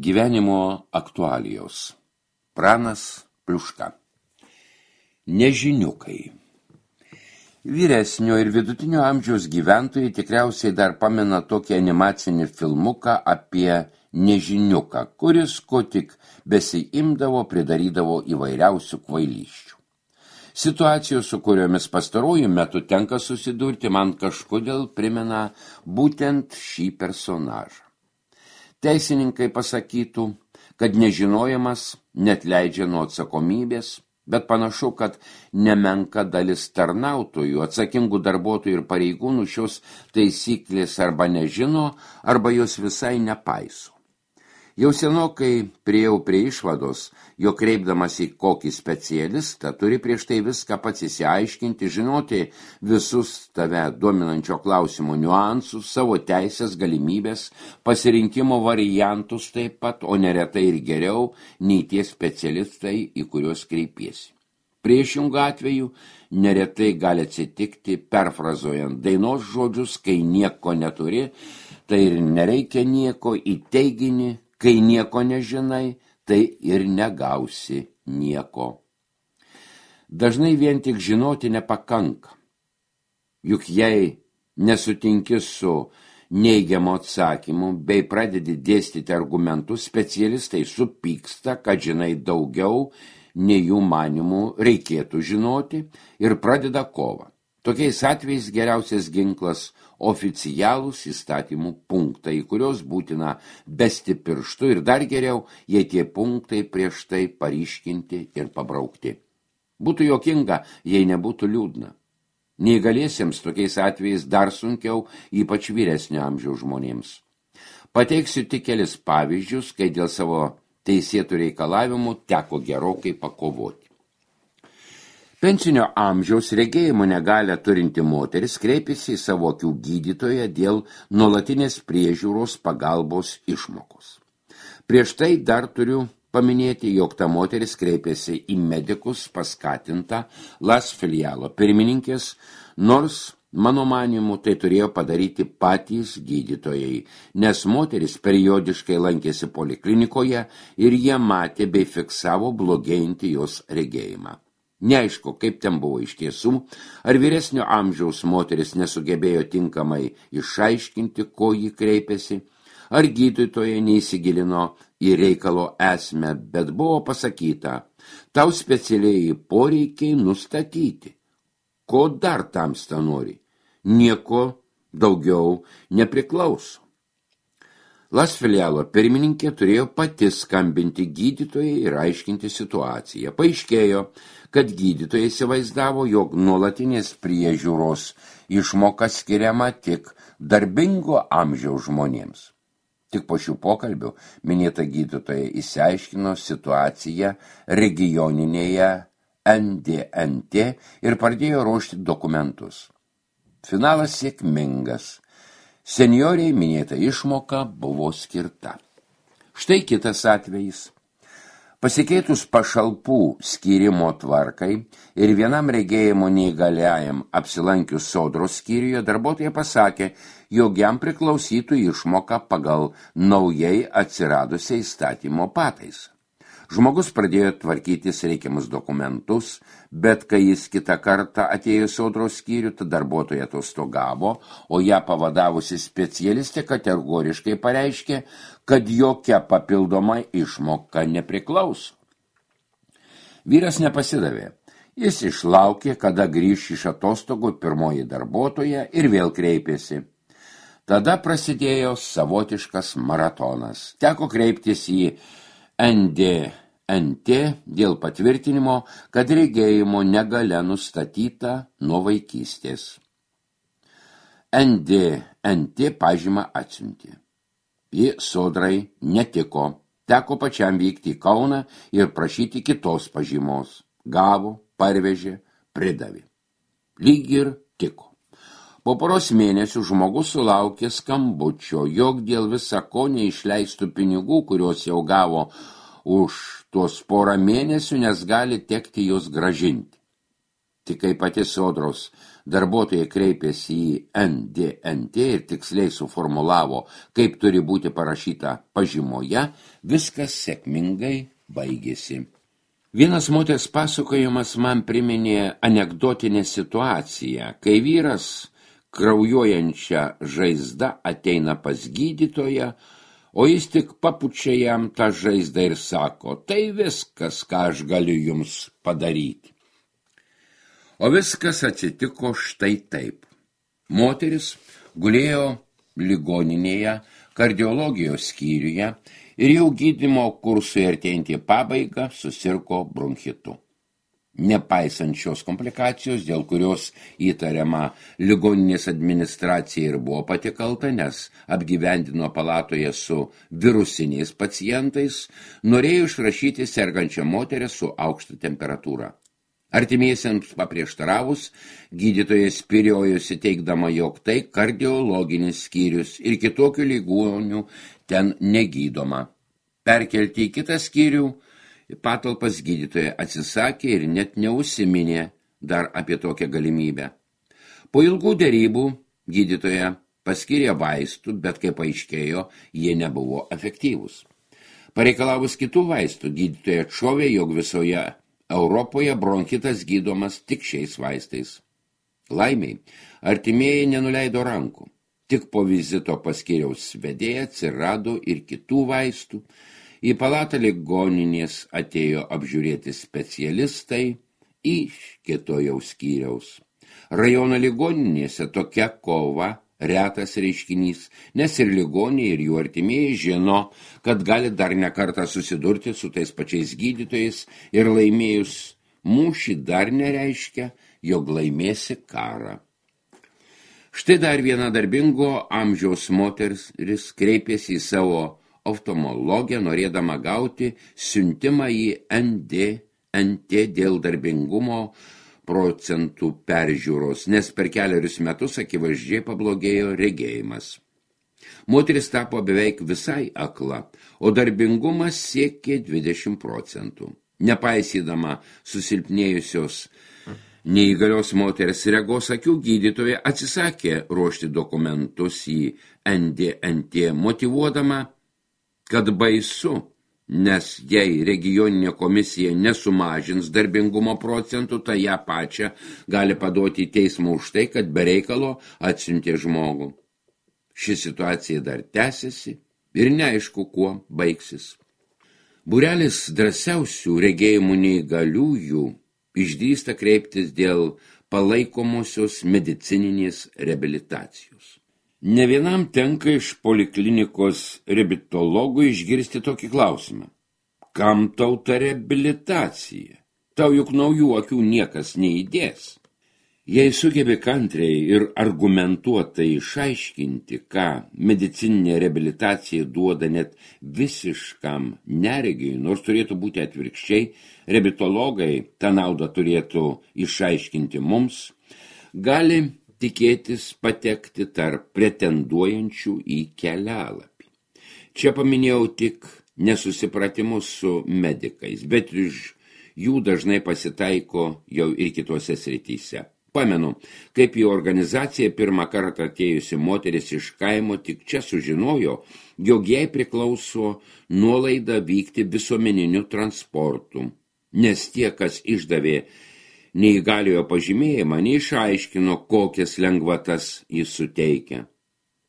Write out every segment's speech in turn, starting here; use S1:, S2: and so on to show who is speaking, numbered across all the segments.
S1: Gyvenimo aktualijos. Pranas Pliuška. Nežiniukai. Vyresnio ir vidutinio amžiaus gyventojai tikriausiai dar pamena tokį animacinį filmuką apie nežiniuką, kuris ko tik besiimdavo, pridarydavo įvairiausių kvailysčių. Situacijos, su kuriomis pastaruoju metu tenka susidurti, man kažkodėl primena būtent šį personažą. Teisininkai pasakytų, kad nežinojimas neatleidžia nuo atsakomybės, bet panašu, kad nemenka dalis tarnautojų, atsakingų darbuotojų ir pareigūnų šios taisyklės arba nežino, arba jos visai nepaiso. Jau senokai priėjau prie išvados, jog kreipdamas į kokį specialistą turi prieš tai viską pats išsiaiškinti, žinoti visus tave dominančio klausimo niuansus, savo teisės, galimybės, pasirinkimo variantus taip pat, o neretai ir geriau nei tie specialistai, į kuriuos kreipiesi. Priešingų atveju neretai gali atsitikti, perfrazuojant dainos žodžius, kai nieko neturi, tai ir nereikia nieko, į teiginį, kai nieko nežinai, tai ir negausi nieko. Dažnai vien tik žinoti nepakanka. Juk jei nesutinki su neigiamu atsakymu, bei pradedi dėstyti argumentus, specialistai supyksta, kad žinai daugiau, nei jų manymų reikėtų žinoti, ir pradeda kovą. Tokiais atvejais geriausias ginklas oficialūs įstatymų punktai, į kurios būtina besti pirštu, ir dar geriau, jei tie punktai prieš tai paryškinti ir pabraukti. Būtų juokinga, jei nebūtų liūdna. Neįgaliesiems tokiais atvejais dar sunkiau, ypač vyresnio amžiaus žmonėms. Pateiksiu tik kelis pavyzdžius, kai dėl savo teisėtų reikalavimų teko gerokai pakovoti. Pensinio amžiaus regėjimo negalią turinti moteris kreipėsi į savo akių gydytoją dėl nuolatinės priežiūros pagalbos išmokos. Prieš tai dar turiu paminėti, jog ta moteris kreipėsi į medikus paskatintą Las Filialo pirmininkės, nors, mano manymu, tai turėjo padaryti patys gydytojai, nes moteris periodiškai lankėsi poliklinikoje ir jie matė bei fiksavo blogėjantį jos regėjimą. Neaišku, kaip ten buvo iš tiesų, ar vyresnio amžiaus moteris nesugebėjo tinkamai išaiškinti, ko ji kreipėsi, ar gydytoja neįsigilino į reikalo esmę, bet buvo pasakyta, tau specialiai poreikiai nustatyti. Ko dar tamsta nori? Nieko daugiau nepriklauso. Las Filialo pirmininkė turėjo pati skambinti gydytojai ir aiškinti situaciją. Paaiškėjo, kad gydytojai įsivaizdavo, jog nuolatinės priežiūros išmoka skiriama tik darbingo amžiaus žmonėms. Tik po šių pokalbių minėta gydytoja išsiaiškino situaciją regioninėje NDNT ir pradėjo ruošti dokumentus. Finalas sėkmingas. Senioriai minėta išmoka buvo skirta. Štai kitas atvejis. Pasikeitus pašalpų skyrimo tvarkai ir vienam regėjimo neįgaliajam apsilankius sodros skyriuje, darbuotoja pasakė, jog jam priklausytų išmoka pagal naujai atsiradusią įstatymo pataisą. Žmogus pradėjo tvarkytis reikiamus dokumentus, bet kai jis kitą kartą atėjo sodros skyrių, tad darbuotoja atostogavo, o ją pavadavusi specialistė kategoriškai pareiškė, kad jokia papildoma išmoka nepriklauso. Vyras nepasidavė. Jis išlaukė, kada grįš iš atostogų pirmoji darbuotoja ir vėl kreipėsi. Tada prasidėjo savotiškas maratonas. Teko kreiptis į NDNT dėl patvirtinimo, kad regėjimo negalia nustatyta nuo vaikystės. NDNT pažymą atsiuntė. Ji sodrai netiko. Teko pačiam vykti į Kauną ir prašyti kitos pažymos. Gavo, parvežė, pridavė. Lyg ir tiko. Po poros mėnesių žmogus sulaukė skambučio, jog dėl visa ko neišleistų pinigų, kuriuos jau gavo už tuos porą mėnesių, nes gali tekti juos gražinti. Tik kai pati sodros darbuotojai kreipėsi į NDNT ir tiksliai suformulavo, kaip turi būti parašyta pažymoje, viskas sėkmingai baigėsi. Vienas moters pasakojimas man priminė anekdotinę situaciją, kai vyras kraujuojančią žaizdą ateina pas gydytoją, o jis tik papučia jam tą žaizdą ir sako, tai viskas, ką aš galiu jums padaryti. O viskas atsitiko štai taip. Moteris gulėjo ligoninėje, kardiologijos skyriuje ir jau gydymo kursui artėjantį pabaigą susirgo bronchitu. Nepaisant šios komplikacijos, dėl kurios įtariama ligoninės administracija ir buvo pati kalta, nes apgyvendino palatoje su virusiniais pacientais, norėjo išrašyti sergančią moterį su aukšta temperatūra. Artimiesiems paprieštaravus, gydytojas spyriojosi teigdama, jog tai kardiologinis skyrius ir kitokių ligonių ten negydoma. Perkelti į kitą skyrių patalpas gydytoja atsisakė ir net neužsiminė dar apie tokią galimybę. Po ilgų derybų gydytoja paskyrė vaistų, bet kaip aiškėjo, jie nebuvo efektyvūs. Pareikalavus kitų vaistų, gydytoja atšovė, jog visoje Europoje bronchitas gydomas tik šiais vaistais. Laimiai, artimieji nenuleido rankų. Tik po vizito pas skyriaus vedėją atsirado ir kitų vaistų. Į palatą ligoninės atėjo apžiūrėti specialistai iš kito jau skyriaus. Rajono ligoninėse tokia kova retas reiškinys, nes ir ligoniai, ir jų artimieji žino, kad gali dar nekartą susidurti su tais pačiais gydytojais ir laimėjus mūšį dar nereiškia, jog laimėsi karą. Štai dar viena darbingo amžiaus moteris kreipėsi į savo oftalmologę, norėdama gauti siuntimą į NDNT dėl darbingumo procentų peržiūros, nes per kelerius metus akivaizdžiai pablogėjo regėjimas. Moteris tapo beveik visai akla, o darbingumas siekė 20%. Nepaisydama susilpnėjusios neįgalios moters regos akių, gydytoja atsisakė ruošti dokumentus į NDNT, motyvuodama, kad baisu, nes jei regioninė komisija nesumažins darbingumo procentų, tai ją pačią gali paduoti į teismą už tai, kad be reikalo atsiuntė žmogų. Ši situacija dar tęsiasi ir neaišku, kuo baigsis. Būrelis drąsiausių regėjimų neįgaliųjų išdrįsta kreiptis dėl palaikomosios medicininės reabilitacijos. Ne vienam tenka iš poliklinikos reabilitologų išgirsti tokį klausimą. Kam tau ta reabilitacija? Tau juk naujų akių niekas neįdės. Jei sugebi kantriai ir argumentuotai išaiškinti, ką medicininė reabilitacija duoda net visiškam neregiui, nors turėtų būti atvirkščiai, reabilitologai tą naudą turėtų išaiškinti mums, gali tikėtis patekti tarp pretenduojančių į kelialapį. Čia paminėjau tik nesusipratimus su medikais, bet iš jų dažnai pasitaiko jau ir kitose srityse. Pamenu, kaip į organizaciją pirmą kartą atėjusi moteris iš kaimo tik čia sužinojo, jog jai priklauso nuolaida vykti visuomeniniu transportu, nes tie, kas išdavė neįgaliojo pažymėjimą, neišaiškino, kokias lengvatas jis suteikia.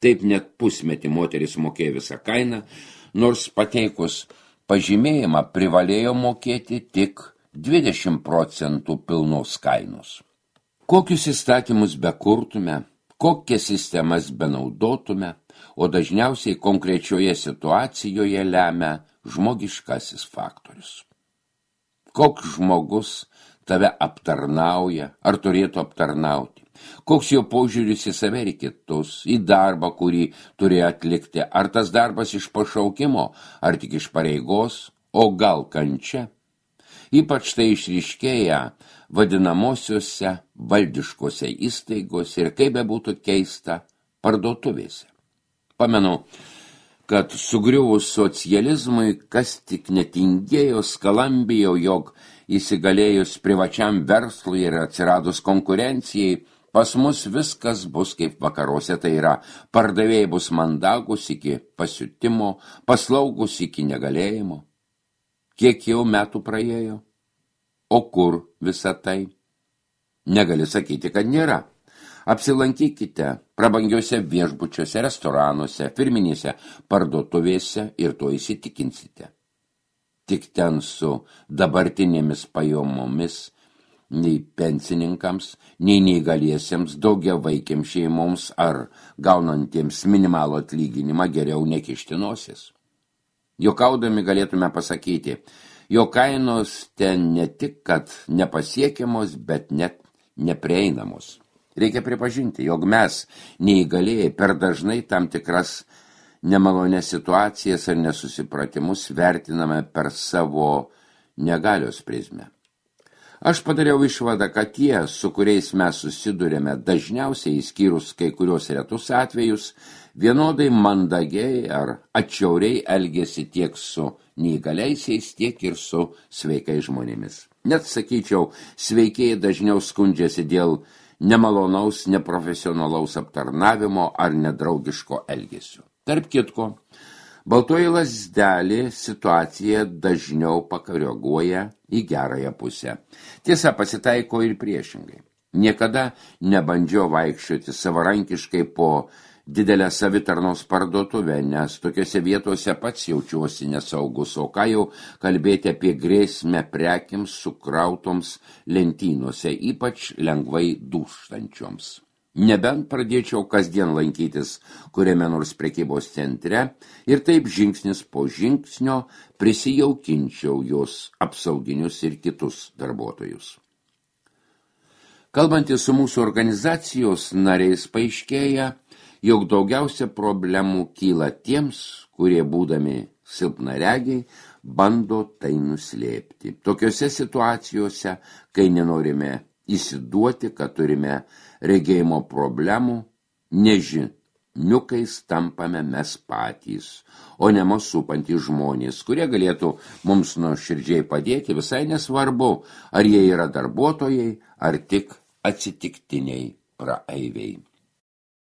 S1: Taip net pusmetį moteris mokėjo visą kainą, nors pateikus pažymėjimą privalėjo mokėti tik 20% pilnos kainos. Kokius įstatymus bekurtume, kokias sistemas benaudotume, o dažniausiai konkrečioje situacijoje lemia žmogiškasis faktorius. Koks žmogus tave aptarnauja, ar turėtų aptarnauti, koks jo požiūris į save ir kitus, į darbą, kurį turi atlikti, ar tas darbas iš pašaukimo, ar tik iš pareigos, o gal kančia. Ypač tai išryškėja vadinamosiuose valdiškose įstaigose ir kaip bebūtų keista parduotuvėse. Pamenu, kad sugriuvus socializmui, kas tik netingėjo, skalambėjo, jog įsigalėjus privačiam verslui ir atsiradus konkurencijai, Pas mus viskas bus kaip vakaruose, tai yra, pardavėjai bus mandagus iki pasiutimo, paslaugus iki negalėjimo. Kiek jau metų praėjo? O kur visa tai? Negali sakyti, kad nėra. Apsilankykite prabangiuose viešbučiuose, restoranuose, firminėse parduotuvėse ir to įsitikinsite. Tik ten su dabartinėmis pajamomis nei pensininkams, nei neįgaliesiems, daugiavaikiams šeimoms ar gaunantiems minimalų atlyginimą geriau nekišti nosis. Juokaudami galėtume pasakyti, jo kainos ten ne tik, kad nepasiekiamos, bet net neprieinamos. Reikia pripažinti, jog mes, neįgalėjai, per dažnai tam tikras nemalonės situacijas ar nesusipratimus vertiname per savo negalios prizmę. Aš padariau išvadą, kad tie, su kuriais mes susidurėme, dažniausiai išskyrus kai kurios retus atvejus, vienodai mandagiai ar atšiauriai elgėsi tiek su neįgaliaisiais, tiek ir su sveikais žmonėmis. Net sakyčiau, sveikieji dažniau skundžiasi dėl nemalonaus, neprofesionalaus aptarnavimo ar nedraugiško elgesio. Tarp kitko, baltoji lazdelė situaciją dažniau pakoreguoja į gerąją pusę. Tiesa, pasitaiko ir priešingai. Niekada nebandžiau vaikščioti savarankiškai po didelę savitarnos parduotuvę, nes tokiose vietose pats jaučiuosi nesaugus, o ką jau kalbėti apie grėsmę prekiams sukrautoms lentynose, ypač lengvai dūžtančioms. Nebent pradėčiau kasdien lankytis kuriame nors prekybos centre ir taip žingsnis po žingsnio prisijaukinčiau jos apsauginius ir kitus darbuotojus. Kalbantis su mūsų organizacijos nariais paaiškėja, jog daugiausia problemų kyla tiems, kurie būdami silpnaregiai bando tai nuslėpti. Tokiose situacijose, kai nenorime įsiduoti, kad turime regėjimo problemų, nežiniukais tampame mes patys, o ne mus supantys žmonės, kurie galėtų mums nuoširdžiai padėti, visai nesvarbu, ar jie yra darbuotojai, ar tik atsitiktiniai praeiviai.